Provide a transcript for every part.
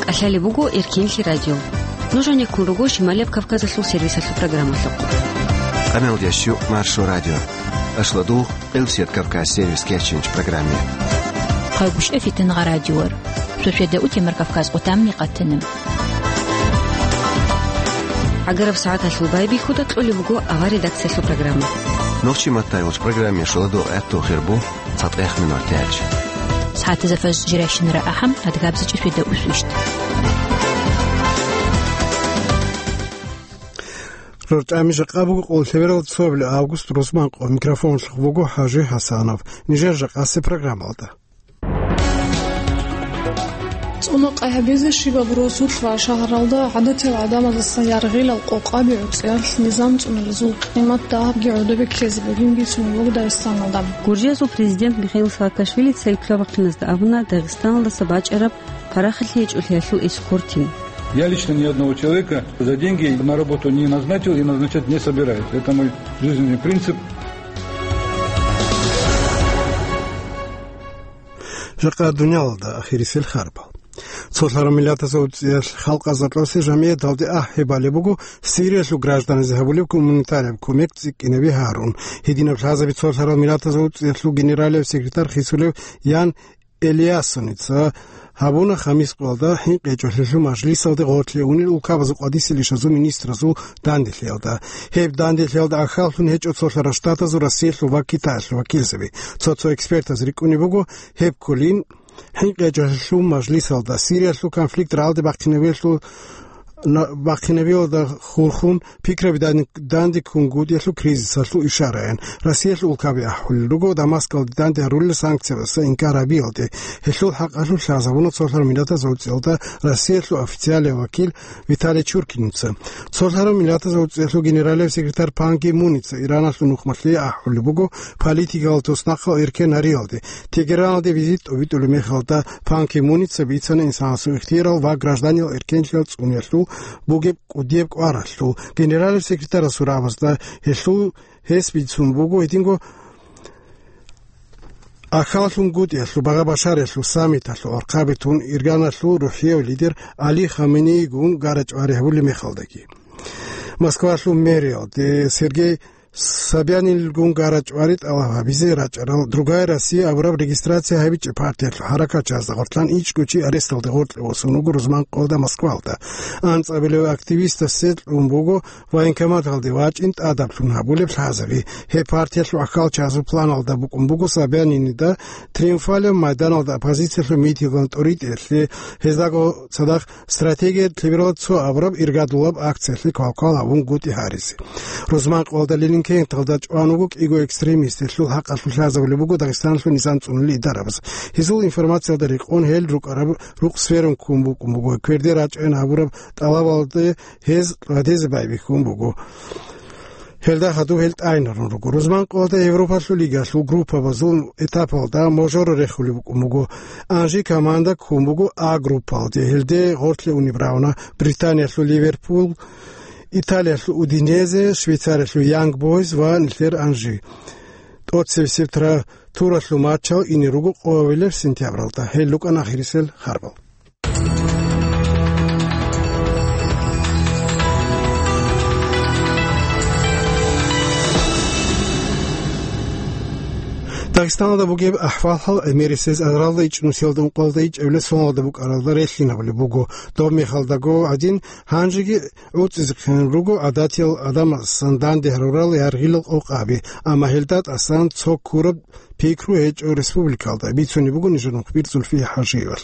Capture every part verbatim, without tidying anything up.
КӀалъалеб буго Эркенлъи радио. Нуж гьанеккун руго Шималияб Кавказалъул сервисалъул программалъухъ. Къамелдящу Маршо радио. Ашладугъ, Къилсият Кавказ сервис кечинч программе. Хъагушев Фитингъа радиор. Суседа утемар Кавказ къутамни къатана. ГӀагараб сагӀаталъул байбихьуда кьолеб буго авар редакциялъул программа. Нохчи маттай вуч программе шуладу гӀатту хирбу. ЦатӀех минутач. СагӀатазда фажр жирайщинара ахӀам, адгабзичӀи светда усвищт. РорчӀами жакъа буго къоллъеверал цоабилеб август рузман къо. Микрофонлъухъ буго ХӀажи ХӀасанов. Нижер жакъасе программалда. ЦӀуна къай гьабизе щибаб росулъ ва шагьаралда гӀадатиял гӀадамаздаса яргъилал къокъаби гӀуцӀиялъ низам цӀуналезул къимат дагьабги гӀодобе ккезе бугин бицунеб буго Дагъистаналда. Гуржиязул президент Михаил Саакашвили церкла бахъиназда абуна Дагъистаналдаса бачӀараб парахалъи гьечӀолъиялъул эскортин. Я лично ни одного человека за деньги на работу не назначил и назначать не собираюсь. Это мой жизненный принцип. Жакъа дуниялалда ахирисел харбал. Цолъарав миллатазул цӀиялъ халкъазда кьосе жамияталде ахӀи балеб буго Сириялъул гражданазде гьабулеб гуманитарияб кумек цӀикӀкӀинаби гьарун. Гьединаб лъазаби цолъарал миллатазул цӀиялъул генералияб секретарь хисулев Ян Элиассоница гьабуна хамис къоялда хӀинкъи гьечӀолъиялъул мажлисалде гъорлъе унел улкабазул къвадиселищазул министразул данделъиялда. Гьеб данделъиялда ахьаллъун гьечӀо Цолъарал Штатазул, Россиялъул ва Китаялъул вакилзаби. Цо-цо экспертаз рикӀкӀунеб буго, гьеб кколин хӀинкъи гьечӀолъиялъул мажлисалда Сириялъул конфликт рагӀалде бахъинабиялъул, на-, бахъинабиялда хурхун пикраби дан-, данде ккунгутӀиялъул кризисалъул ишараян. Россиялъул улкаби ахӀулел руго Дамаскалде данде гьарулел санкциябаса инкар гьабиялде. Гьелъул хӀакъалъулъ лъазабуна цолъарал миллатазул цӀиялда Россиялъул официалияв вакил Виталий Чуркиница. Цолъарал миллатазул цӀиялъул генералияб секретарь Пан Ги Муница Ираналъул нухмалъе ахӀулеб буго политикалъул туснахъал эркен гьариялде. Тегераналде визит тӀобитӀулеб мехалда Пан Ги Муница бицана инсанасул ихтиярал ва гражданиял эркенлъиялъ цӀуниялъул бугеб кӀудияб кӀваралъул. Генералияб секретарасул рагӀабазда гьелъул гьес бицун буго гьединго ахьаллъунгутӀиялъул, Багъа-Башариялъул саммиталъул архъаби тун ирганалъул рухӀияв лидер Али Хаменейигун гара-чӀвари гьабулеб мехалдаги. Москвалъул мэриялде Сергей Собянинилгун гара-чӀвари тӀалаб гьабизе рачӀарал «Другая Россия» абураб регистрация гьабичӀеб партиялъул хӀаракатчиязда гъорлъан ичӀго чи аресталде гъоркье восун вуго рузман къоялда Москвалда. АнцӀабилев активистасе кьун буго военкоматалде вачӀин тӀадаблъун гьабулеб лъазаби. Гьеб партиялъул ахьалчазул планалда букӀун буго Собянинида Триумфалияб майданалда оппозициялъул митингал тӀоритӀиялъе, гьездаго цадахъ «Стратегия лъеберал цо» абураб иргадулаб акциялъе квалквал гьавунгутӀи гьаризе. Рузман къоялда Лилинкенталда чӀван вуго кӀиго экстремист, гьелъул хӀакъалъулъ лъазабулеб буго Дагъистаналъул низам цӀунулел идарабаз. Гьезул информациялда рекъон гьел рукӀараб рукъ сверун ккун букӀун буго, кверде рачӀайин гьабураб тӀалабалде гьез ладезе байбихьун буго. Гьелда хадуб гьел тӀайнарун руго. Рузман къоялда Европалъул лигалъул группабазул этапалда мажор рехулеб букӀун буго. Анжи команда ккун буго А группалде. Гьелде гъорлъе унеб рагӀуна Британиялъул Ливерпул, Италиялъул Удинезе, Швейцариялъул Янг Бойз ва нилъер Анжи. ТӀоцебесеб тра-, туралъул матчал ине руго къоялъ сентябралда. Гьел рукӀана ахирисел харбал. Дагъистаналда бугеб ахӀвал-хӀал гӀемерисез агралда ичӀнусиялда ункъоялда ичӀабилеб соналда букӀаралда релълъинабулеб буго. Доб мехалдаго гӀадин, гьанжеги гӀуцӀизехъин руго гӀадатиял адамасан данде гьарурал яргъилал къокъаби, амма гьелда тӀасан цо ккураб пикру гьечӀо республикалда, бицунеб буго нижер мухбир Зульфия ХӀажиевал.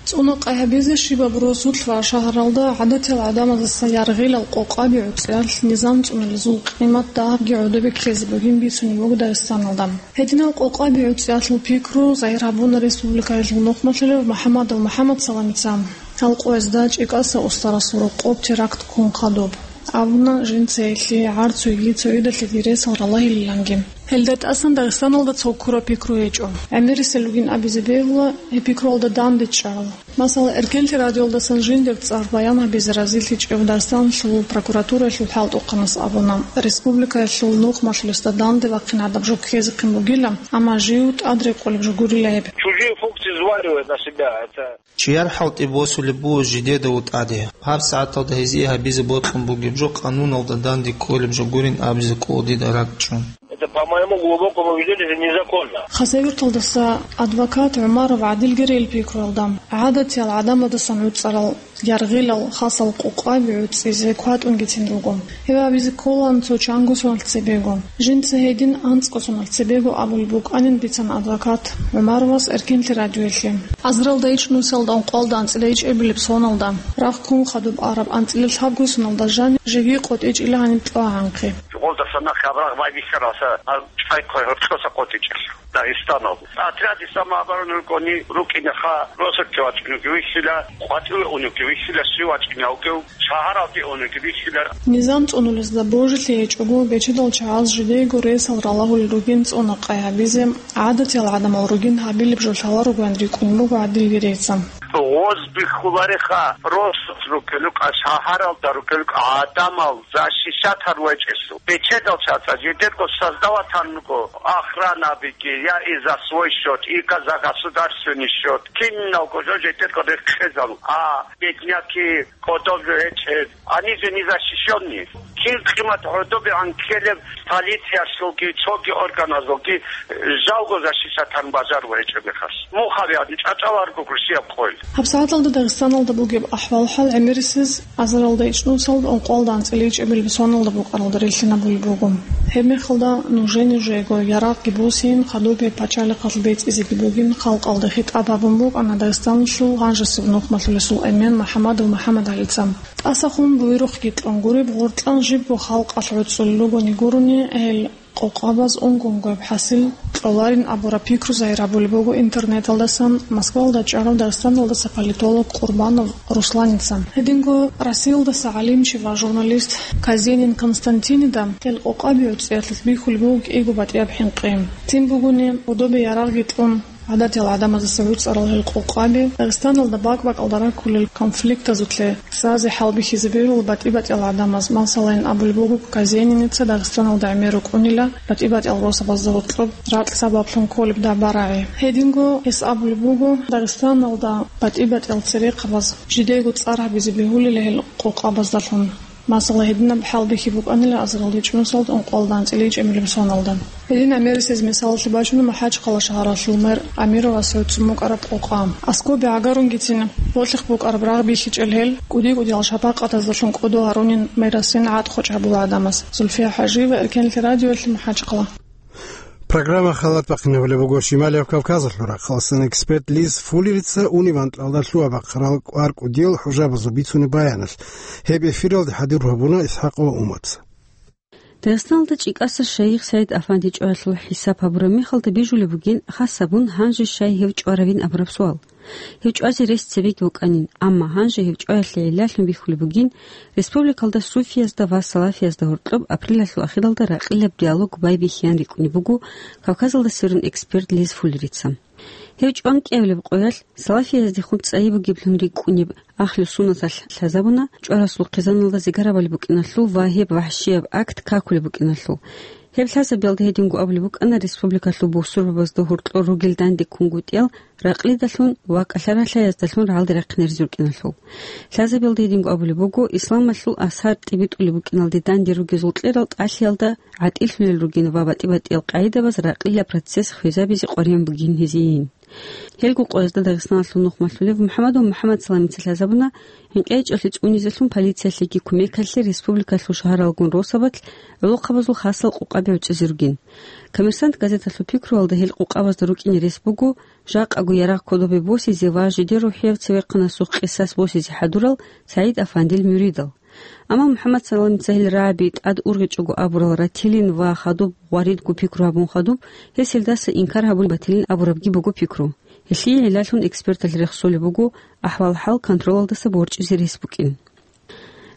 ЦӀуна къай гьабизе щибаб росулъ ва шагьаралда гӀадатиял гӀадамаздаса яргъилал къокъаби гӀуцӀиялъ низам цӀуналезул къимат дагьабги гӀодобе ккезе бугин бицунеб буго Дагъистаналда. Гьединал къокъаби гӀуцӀиялъул пикру загьир гьабуна республикаялъул нухмалъулев МухӀамадов МухӀамадсаламица. Гьал къоязда ЧӀикӀаса устарасул рокъоб теракт ккун хадуб. Абуна, жинца гьелъие гӀарцуеги цогидалъеги ресал ралагьилиланги. Гьелда тӀасан Дагъистаналда цо ккураб пикру гьечӀо. ГӀемерисел ругин абизе бегьула гьеб пикруялда данде чӀарал. Масала, Эркенлъи радиоялдасан жиндир цӀар баян гьабизе разилъичӀев Дагъистаналъул прокуратураялъул хӀалтӀухъанас абуна, республикаялъул нухмалъулесда данде вахъин гӀадаб жо ккезехъин бугила, амма жив тӀадрекъолеб жо гурила гьеб. Чужие функции взваливает на себя это. Чияр хӀалтӀи босулеб буго жидеда тӀаде. ГьабсагӀаталда гьезие гьабизе бокьун бугеб жо къануналда данде кколеб жо гурин абизе ккола дида ракӀчӀун. Это, по моему глубокому убеждению, это незаконно. Хасавюрталдаса адвокат ГӀумаров ГӀадилги рел пикруялда, гӀадатиял гӀадамаздасан гӀуцӀарал яргъилал хасал къокъаби гӀуцӀизе кватӀунгицин руго. Гьеб абизе кколаан цо чанго соналъ цебего. Жинца гьедин анцӀго соналъ цебего абулеб букӀанин бицана адвокат ГӀумаровас Эркенлъи радиоялъе. Азаралда ичӀнусиялда ункъоялда анцӀила ичӀабилеб соналда, рагъ ккун хадуб араб анцӀила лъабго соналда жанив живги къотӀичӀила гьаниб кьогӀанхъе. Жугъалдаса нахъе абрагъ байбихьаралса, а чӀвай хъвай гьоркьоса къотӀичӀелъул. Дагъистаналда. Отряде самообороны рукӀуни, рукӀинеха, росулъе вачӀуневги вихьила, къватӀиве уневги вихьила, щив вачӀине вугев, шагьаралде уневги вихьила. Низам цӀунулезда божилъи гьечӀого, бечедал чагӀаз жидеего ресал ралагьулел ругин цӀуна къай гьабизе, гӀадатиял гӀадамал ругин гьабилеб жо лъаларогоян рикӀкӀун буго ГӀадилги рейца. Гъоз бихьулареха, росулъ рукӀелукӀа, шагьаралда рукӀелукӀа гӀадамал защищать гьарулел чӀесул. Бечедал чагӀаз жидерго создавать гьанго охранабиги, я и за свой счёт, и ка-, за государственный счёт. Киналго жо жидерго рекъезал, а бедняки, кодоб жо гьечӀеб, они же не защищённые. Кин къимат гӀодобегӀан ккелеб полициялъулги, цоги органазулги, жалго защищать гьарун бажарулел гьечӀеб мехалъ. Мухъ гьабиялъе чӀачӀаларго гурщияб къойил. ГьабсагӀаталда Дагъистаналда бугеб ахӀвал-хӀал гӀемерисез азаралда ичӀнусалда ункъоялда анцӀила ичӀабилеб соналда букӀаралда релълъинабулеб буго. Гьебмехалда нужее-нужеего ярагъги босейин, хадуб гьеб пачалихъалъ бецӀизеги бугин, халкъалда хитӀаб гьабун букӀана Дагъистаналъул гьанжесеб нухмалъулесул эмен МухӀамадов МухӀамадгӀалица. ТӀасахун буйрухъги кьун гуреб, гъоркьан жибго халкъалъ гӀуцӀулел ругони гурони, гьел къокъабаз унго-унгояб хӀасил кьоларин абураб пикру загьир гьабулеб буго интернеталдасан Москвалда чӀарав Дагъистаналдаса политолог Къурбанов Русланица. Гьединго Россиялдаса гӀалимчи ва журналист Казенин Константинида гьел къокъаби гӀуцӀиялъулъ бихьулеб буго кӀиго батӀияб хӀинкъи. Цин бугони, гӀодобе ярагъги тӀун, гӀадатиял гӀадамаздаса гӀуцӀарал гьел къокъаби Дагъистаналда бакӀ-бакӀалда раккулел конфликтазулъе лъазе хӀалбихьизе берул батӀи-батӀиял гӀадамаз, масалайин, абулеб буго Казениница Дагъистаналда гӀемер рукӀунила батӀи-батӀиял росабазда гьоркьоб ракь сабаблъун кколеб дагьба-рагӀи. Гьединго гьес абулеб буго, Дагъистаналда батӀи-батӀиял церехъабаз жидего цӀар гьабизе бегьулила гьел къокъабаздалъун. Масала, гьединаб хӀалбихьи букӀанила азаралда ичӀнусалда ункъоялда анцӀила ичӀабилеб соналда. Гьедин гӀемерисез мисалалъе бачуна МахӀачхъала шагьаралъул мэр Амировас гӀуцӀун букӀараб къокъа. Аскоби гӀагарунгицин гьолъихъ букӀараб рагъ бихьичӀел гьел, кӀуди-кӀудиял шапакъатаздалъун кӀодо гьарунин мэрасин гӀатӀ-хочӀ гьабула гӀадамаз. Зульфия ХӀажиева, Эркенлъи радиоялъе, МахӀачхъала. Программа халат бахъинабулеб буго Шималияб Кавказалъул рахъалъан эксперт Лиз Фуллерица унеб анкьалда лъугьа-бахъарал кӀвар-кӀудиял хӀужабазул бицунеб баяналъ. Гьеб эфиралде хӀадур гьабуна Исхакъова Умаца. Дагъистаналда ЧӀикӀаса шайих СагӀид-Афанди чӀваялъул хӀисаб гьабураб мехалда бижулеб бугин, хас гьабун, гьанже щай гьев чӀваравин абураб суал. Гьев чӀвазе рес цебеги вукӀанин, амма гьанже гьев чӀваялъе гӀиллалъун бихьулеб бугин, республикалда суфиязда ва салафиязда гьоркьоб апрелалъул ахиралда ракьилаб диалог байбихьеян рикӀкӀунеб буго Кавказалда сверун эксперт Лиз Фуллерица. Гьев чӀван кӀиабилеб къоялъ, салафияздехун цӀайи бугеблъун рикӀкӀунеб Ахлу Суннаталъ лъазабуна, чӀварасул хъизаналда зигарабали букӀиналъул ва гьеб вахӀщияб акт какулеб букӀиналъул. Гьеб лъазабиялда гьединго абулеб букӀана республикалъул бусурбабазда гьоркьор ругел данде ккунгутӀиял ракълидалъун ва кӀалъа-ралъаяздалъун рагӀалде рахъинаризе рукӀиналъул. Лъазабиялда гьединго абулеб буго, исламалъул асар тӀибитӀулеб букӀиналде данде ругезул кьерал тӀалъиялда гӀатӀилъулел ругин ва батӀи-батӀиял къагӀидабаз ракълила процесс хвезабизе къваригӀун бугин гьезийин. Гьелго къоязда Дагъистаналъул нухмалъулев МухӀаммадов МухӀаммад Саламица лъазабуна, гьинкъичӀалъи цӀунизелъун полициялъеги кумекалъе республикалъул шагьаралгун росабалъ гӀолохъабазул хасал къокъаби гӀуцӀизе ругин. Коммерсант газеталъул пикруялда гьел къокъабазда рукӀине рес буго жакъаго ярагъ кодобе босизе ва жидер рухӀияв цевехъанасухъ къисас босизе хӀадурал СагӀид-Афандил муридал. Амма МухӀаммад Саламица гьел рагӀаби тӀад ургъичӀого абурал ратилин ва хадуб гъваридго пикру гьабун хадуб, гьес гьелдаса инкар гьабун батилин абурабги буго пикру. Гьелъие гӀиллалъун эксперталъ рехсолеб буго ахӀвал-хӀал контролалдаса борчӀизе рес букӀин.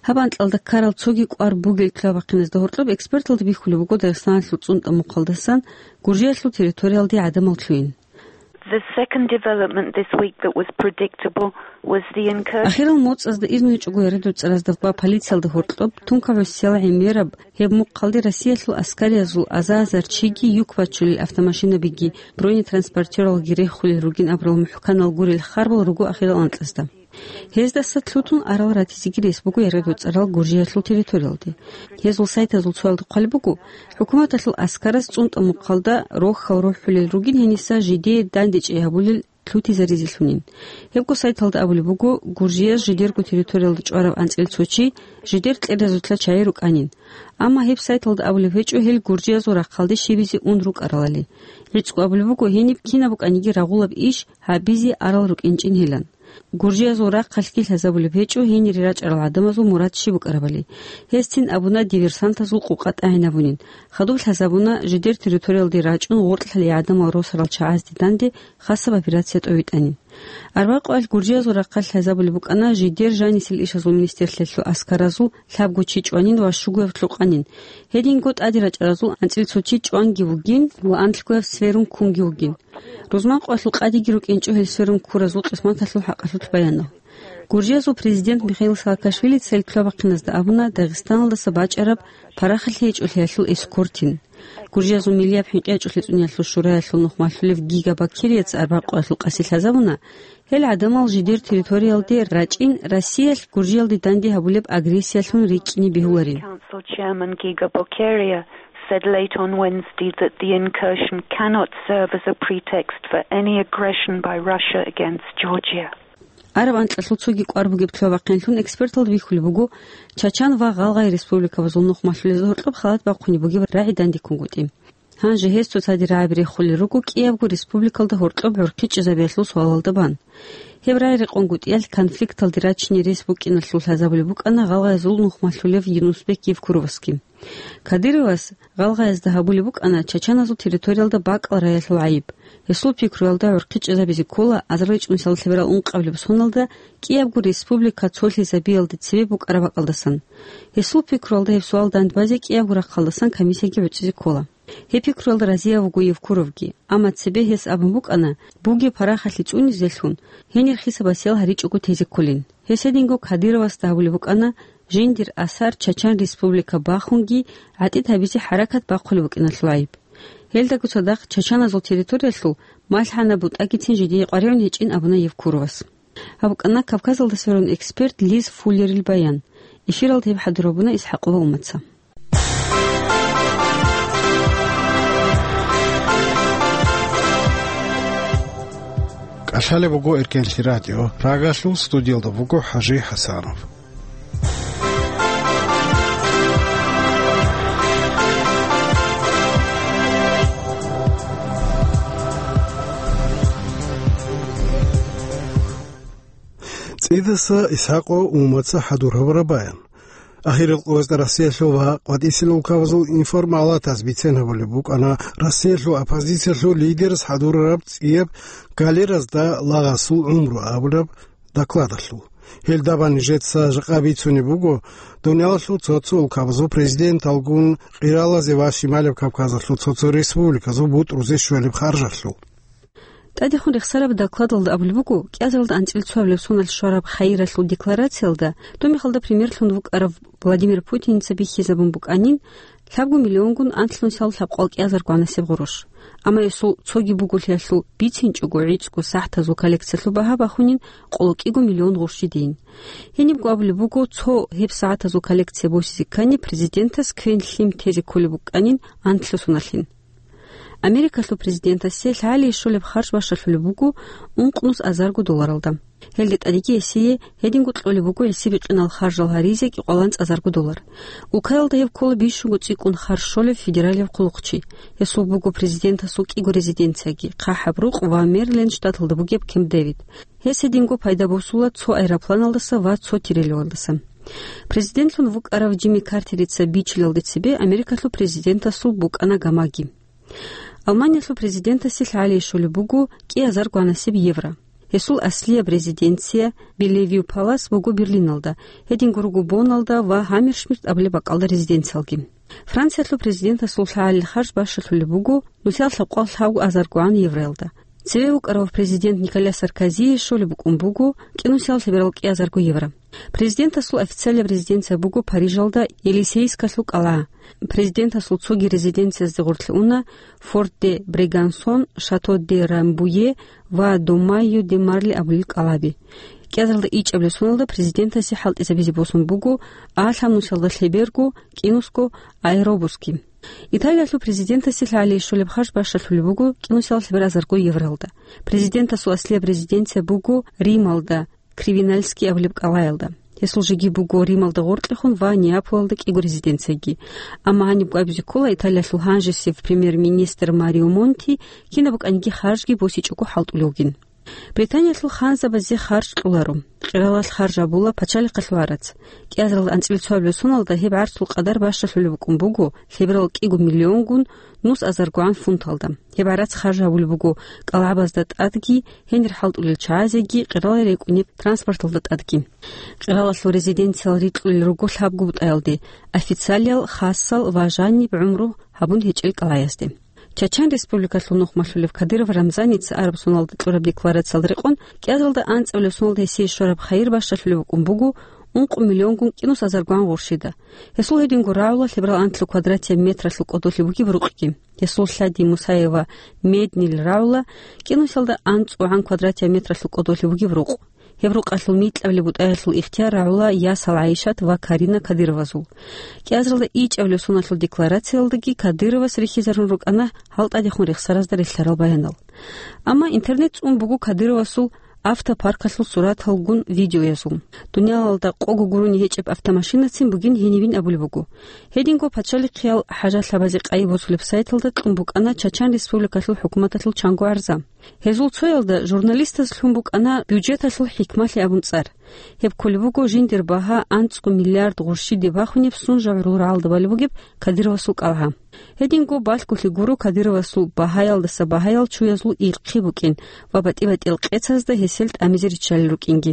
Гьаб анкьалда ккарал цоги кӀвар бугел лъугьа-бахъиназда гьоркьоб эксперталда бихьулеб буго Дагъистаналъул цӀунтӀа мухъалдасан Гуржиялъул территориялде гӀадамал лъугьин. The second development this week that was predictable was the incursion. Ахирал моцӀазда ирнучӀого яридуцӀаразда ва полициялда гьоркьоб тункаб гӀусиял гӀемераб гьеб мухъалде Россиялъул аскариязул аза-азар чиги юк бачулел автомашинабиги бронетранспортералги рехулел ругин абурал мухӀканал гурел харбал руго ахирал анкьазда. Гьездаса лъутун арал ратизеги рес буго яридуцӀарал Гуржиялъул территориялде. Гьезул сайтазул цоялда хъвалеб буго, хӀукуматалъул аскараз цӀунтӀа мухъалда рохьал рухӀулел ругин гьениса жидее дандечӀей гьабулел лъутизаризелъунин. Гьебго сайталда абулеб буго, Гуржияз жидерго территориялда чӀвараб анцӀил цо чи жидер кьеразулъа чагӀи рукӀанин. Амма гьеб сайталда абулеб гьечӀо гьел гуржиязул рахъалде щибизе ун рукӀаралали. ГӀицӀго абулеб буго, гьениб кинаб букӀаниги рагъулаб иш гьабизе арал рукӀинчӀин гьелан. Гуржиязул рахъалъги лъазабулеб гьечӀо гьенире рачӀарал гӀадамазул мурад щиб букӀарабали. Гьезцин абуна диверсантазул къукъа тӀагӀинабунин. Хадуб лъазабуна жидер территориялде рачӀун гъоркьлъалей гӀадамал росарал чагӀазде данде хасаб операция тӀовитӀанин. Арбякъуалъ Гуржиязул рахъалъ лъазабулеб букӀана жидер жанисел ишазул министерлъиялъул аскаразул лъабго чи чӀванин ва щугояб лъукъанин. Гьединго тӀаде рачӀаразул анцӀил цо чи чӀванги вугин ва анлъгояб сверун ккунги вугин. Рузманкъоялъул къадиги рукӀинчӀо гьел сверун ккуразул къисматалъул хӀакъалъулъ баянал. Гуржиязул президент Михаил Саакашвилица гьел лъугьа-бахъиназда абуна Дагъистаналдаса бачӀараб парахалъи гьечӀолъиялъул эскортин. Гуржиязул миллияб хӀинкъи гьечӀолъи цӀуниялъул шураялъул нухмалъулев Гига Бакерица арбякъуалъул къаси лъазабуна, гьел гӀадамал жидер территориялде рачӀин Россиялъ Гуржиялде данде гьабулеб агрессиялъун рикӀкӀине бегьуларин. Council Chairman Giga Bokeria said late on Wednesday that the incursion cannot serve as a pretext for any aggression by Russia against Georgia. Араб анкьалъул цоги кӀвар бугеб лъугьа-бахъинлъун эксперталда бихьулеб буго Чачан ва Гъалгъай республикабазул нухмалъулезда гьоркьоб халат бахъунеб бугеб рагӀи дандеккунгутӀи. Гьанже гьес цоцаде рагӀаби рехулел руго КӀиябго республикалда гьоркьоб гӀурхъи чӀезабиялъул суалалда бан. Гьеб рагӀи рекъонгутӀиялъ конфликталде рачине рес букӀиналъул лъазабулеб букӀана Гъалгъайзул нухмалъулев Юнусбек Евкуровасги. Кадыровас Гъалгъаязда гьабулеб букӀана чачаназул территориялда бакӀал раялъул гӀайиб. Гьесул пикруялда гӀурхъи чӀезабизе ккола азарилчӀунсиялда лъеберал ункъабилеб соналда КӀиябго республика цолъизабиялде цебе букӀараб бакӀалдасан. Гьесул пикруялда гьеб суал дандбазе КӀиябго рахъалдасан комиссияги гӀуцӀизе ккола. Гьеб пикруялда разияб буго Евкуровги, амма цебе гьес абун букӀана, бугеб парахалъи цӀунизелъун, гьенир хисаб-басиял гьаричӀого тезе кколин. Гьес гьединго Кадыровасда гьабулеб букӀана, жиндир асар Чачан Республика бахунги гӀатӀид гьабизе хӀаракат бахъулеб букӀиналъул гӀайиб. Гьелдаго цадахъ чачаназул территориялъул малъгӀанаб бутӀагицин жидее къваригӀун гьечӀин абуна Евкуровас. Гьаб букӀана Кавказалда сверун эксперт Лиз Фуллерил баян. Эфиралда гьеб хӀадур гьабуна ИсхӀакъова Умаца. КӀалъалеб буго Эркенлъи радио. Прагалъул студиялда буго ХӀажи ХӀасанов. ЦӀидаса ИсхӀакъо Умаца хӀадур гьабураб баян. Ахирал къоязда Россиялъул ва къватӀисел улкабазул информалатаз бицен гьабулеб букӀана Россиялъул оппозициялъул лидерас хӀадурараб цӀияб «Галеразда лагъасул гӀумру» абураб докладалъул. Гьелда бан нижеца жакъа бицунеб буго дуниялалъул цо-цо улкабазул президенталгун къиралазе ва Шималаб Кавказалъул цо-цо республиказул бутӀрузе щвелеб харжалъул. ТӀадехун рехсараб докладалда абулеб буго, кӀиазаралда анцӀила цоабилеб соналъ щвараб Хаиралъул декларациялда, доб мехалда премьерлъун вукӀарав Владимир Путиница бихьизабун букӀанин, лъабго миллионгун анлънусал лъабкъоялда кӀиазарго гӀанасеб гъурущ. Амма гьесул цоги буголъиялъул бицинчӀого гӀицӀго сагӀатазул коллекциялъул багьа бахунин къоло кӀиго миллион гъурщ жидейин. Гьенибго абулеб буго, цо гьеб сагӀатазул коллекция босизе ккани, президентас квен-лъим тезе кколеб букӀанин анлъго соналъин. Америкалъул президентасе лъагӀалие щолеб харж бащалъулеб буго ункънус азарго долларалда. Гьелде тӀадеги гьесие гьединго кьолеб буго гьесие бикьинал харжал гьаризе кӀикъоялда анцӀазарго доллар. Улкаялда гьеб ккола бищунго цӀикӀкӀун харж щолеб федералияб хъулухъчи. Гьесул буго президентасул кӀиго резиденцияги, ХъахӀаб рукъ ва Мэриленд штаталда бугеб Кемп-Дэвид. Гьес гьединго пайда босула цо аэропланалдаса ва цо тирелевалдаса. Президентлъун вукӀарав Джимми Картерица бичилалде цебе Америкалъул президентасул букӀана гамаги. Алманиялъул президентасе лъагӀалие щолеб буго кӀиазарго гӀанасеб евро. Гьесул аслияб резиденция Белевью Палас буго Берлиналда, гьединго руго Бонналда ва Хаммершмирт абулеб бакӀалда резиденциялги. Франциялъул президентасул лъагӀалил харж бащалъулеб буго нусиялда лъабкъоялда лъабго азарго гӀан евроялда. Цеве вукӀарав президент Николя Саркозие щолеб букӀун буго кӀинусиялда лъеберал кӀиазарго евро. Президентасул официалаб резиденция буго Парижалда Елисейскалъул кӀалгӀа. Президентасул цоги резиденциязде гъорлъ уна Форт де Брегансон, Шато де Рамбуе ва Домайо де Марли абулел кӀалгӀаби. КӀиазаралда ичӀабилеб соналда президентасе хӀалтӀизабизе босун буго алъабнусиялда лъеберго кӀинусго аэробуски. Италиялъул президентасе лъалей щолеб харж бащалъулеб буго кӀинусиялда лъеберал азарго евралда. Президентасул аслияб резиденция буго Рималда, Кривинальский абулеб кӀалгӀаялда. Гьесул жеги буго Рималда гъоркьехун ва Неаполалда кӀиго резиденцияги. Амма гьаниб абизе ккола Италиялъул гьанжесев премьер-министр Марио Монти кинаб букӀаниги харжги босичӀого хӀалтӀулев вугин. Британиялъул ханзабазе харж кьоларо. Къиралалъ харж гьабула пачалихъалъул гӀарац. КӀиазаралда анцӀила цоабилеб соналда гьеб гӀарцул къадар бащалъулеб букӀун буго лъеберал кӀиго миллионгун нус азаргогӀан фунталда. Гьеб гӀарац харж гьабулеб буго кӀалгӀабазда тӀадги, гьенир хӀалтӀулел чагӀазеги, къиралай рекӀунеб транспорталда тӀадги. Къиралалъул резиденциял рикьулел руго лъабго бутӀаялде: официалиял, хасал ва жаниб гӀумру гьабун гьечӀел кӀалгӀаязде. Чачан Республикалъул нухмалъулев Кадыров Рамзаница араб соналда кьураб декларациялда рекъон, кӀиазаралда анцӀабилеб соналда гьесие щвараб хайир бащалъулеб букӀун буго ункъо миллионгун кӀинус азаргогӀан гъурщида. Гьесул гьединго рагӀула лъеберал анлъго квадратия метралъул кӀодолъи бугеб рукъги. Гьесул лъади Мусаева Меднил рагӀула кӀинусиялда анцӀгогӀан квадратия метралъул кӀодолъи бугеб рукъ. Гьеб рукъалъул микьабилеб бутӀаялъул ихтияр рагӀула ясал ГӀайшат ва Карина Кадыровазул. КӀиазаралда ичӀабилеб соналъул декларациялдаги Кадыровас рихьизарун рукӀана гьал тӀадехун рехсаразда релълъарал баянал. Амма интернет цӀун буго Кадыровасул автопаркалъул сураталгун видеоязул. Дуниялалда къого гурони гьечӀеб автомашинацин бугин гьенивин абулеб буго. Гьединго пачалихъиял хӀажалъабазе къайи босулеб сайталда кьун букӀана Чачан Республикалъул хӀукуматалъул чанго гӀарза. Гьезул цоялда журналистаз лъун букӀана бюджеталъул хӀикмалъи абун цӀар. Гьеб кколеб буго жиндир багьа анцӀго миллиард гъурщиде бахунеб сунжа гӀурул рагӀалда балеб бугеб Кадыровасул кӀалгӀа. Гьединго балъголъи гуро Кадыровасул багьаялдаса багьаял чуязул ихъи букӀин ва батӀи-батӀиял къецазда гьесел тӀамизе риччалел рукӀинги.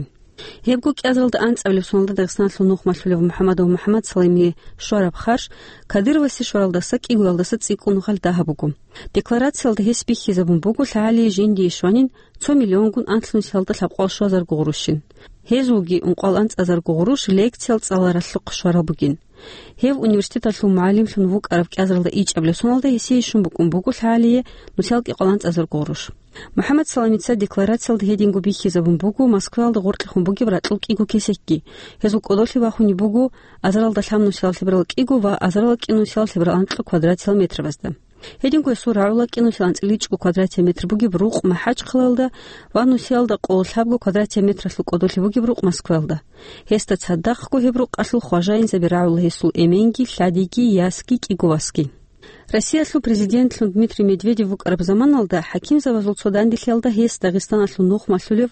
Гьебго кӀиазаралда анцӀабилеб соналда Дагъистаналъул нухмалъулев МухӀаммадов МухӀаммад Саламие щвараб харж Кадыровасе щваралдаса кӀигоялдаса цӀикӀкӀун гъал дагьаб буго. Декларациялда гьес бихьизабун буго лъагӀалие жиндие щванин цо миллионгун анлънусиялда лъабкъвал щуазарго гъурущин. Гьезулги ункъвал анцӀазарго гъурущ лекциял цӀаларалъухъ щварал бугин. Гьев университеталъул мугӀалимлъун вукӀараб кӀиазаралда ичӀабилеб соналда гьесие щун букӀун буго лъагӀалие нусиялда кӀикъоялда анцӀазарго гъурущ. МухӀаммад Саламица декларациялда гьединго бихьизабун буго Москваялда гъоркьехун бугеб ракьул кӀиго кесекги. Гьезул кӀодолъи бахунеб буго азаралда лъабнусиялда лъеберал кӀиго ва азаралда кӀинусиялда лъеберал анкьа квадратиял метрабазда. Гьединго гьесул рагӀула кӀинусиялда анцӀила ичӀго квадратиял метр бугеб рукъ МахӀачхъалаялда ва нусиялда къоло лъабго квадратиял метралъул кӀодолъи бугеб рукъ Москваялда. Гьесда цадахъго гьеб рукъалъул хважаинзаби рагӀула гьесул эменги, лъадиги, ясги, кӀиго васги. Россиялъул президентлъун Дмитрий Медведев вукӀараб заманалда хӀакимзабазул цо данделъиялда гьес Дагъистаналъул нухмалъулев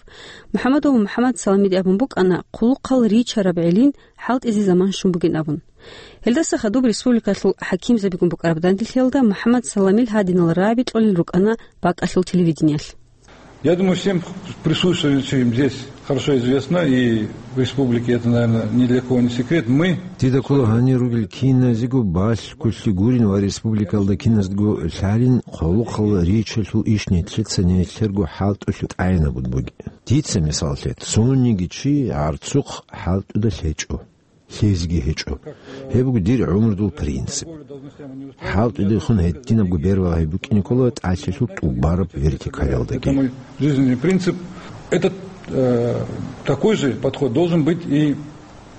МухӀаммадов МухӀаммад Саламиде абун букӀана хъулухъал ричараб гӀелин хӀалтӀизе заман щун бугин абун. Гьелдаса хадуб республикалъул хӀакимзабигун букӀараб данделъиялда МухӀаммад Саламил гьадинал рагӀаби кьолел рукӀана бакӀалъул телевидениялъ. Я думаю, всем присутствующим здесь хорошо известно, и в республике это, наверное, ни для кого не секрет. Мы Дида ккола гьанир ругел киназего балъголъи гурин ва республикалда киназго лъалин хъулухъал ричалъул иш нилъеца нилъерго хӀалтӀулъе тӀагӀинабун бугеб. Дица мисал лъе, цониги чи гӀарцухъ хӀалтӀуда лъечӀо. Лъезеги гьечӀо. Гьеб буго дир гӀумрудул принцип. ХӀалтӀудехун гьединабго бербагьи букӀине ккола тӀалъилъул тӀубараб вертикалалдаги. Это мой жизненный принцип. Этот, э, такой же подход должен быть и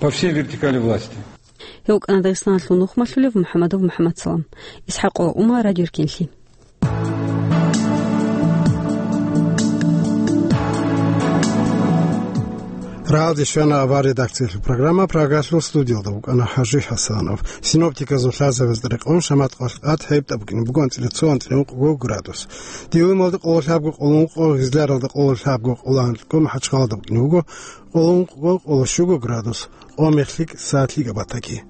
по всей вертикали власти. Гьев вукӀана Дагъистаналъул нухмалъулев МухӀаммадов МухӀаммадсалам. ИсхӀакъова Ума, Радио Эркенлъи. Рагьалде щвана авар редакциялъул программа, Прагалъул студиялда вукӀана ХӀажи ХӀасанов. Синоптиказул лъазабазда рекъон шамат къвалъ тӀад гьеб тӀа букӀине буго анцӀила цо, анцӀила ункъго градус. Дилималда къоло лъабго, къоло ункъго, Гъизляралда къоло лъабго, къоло анкьго, МахӀачхъалада букӀине буго къоло ункъго, къоло щуго градус. Къо мехлъи, саатлъи габатаги.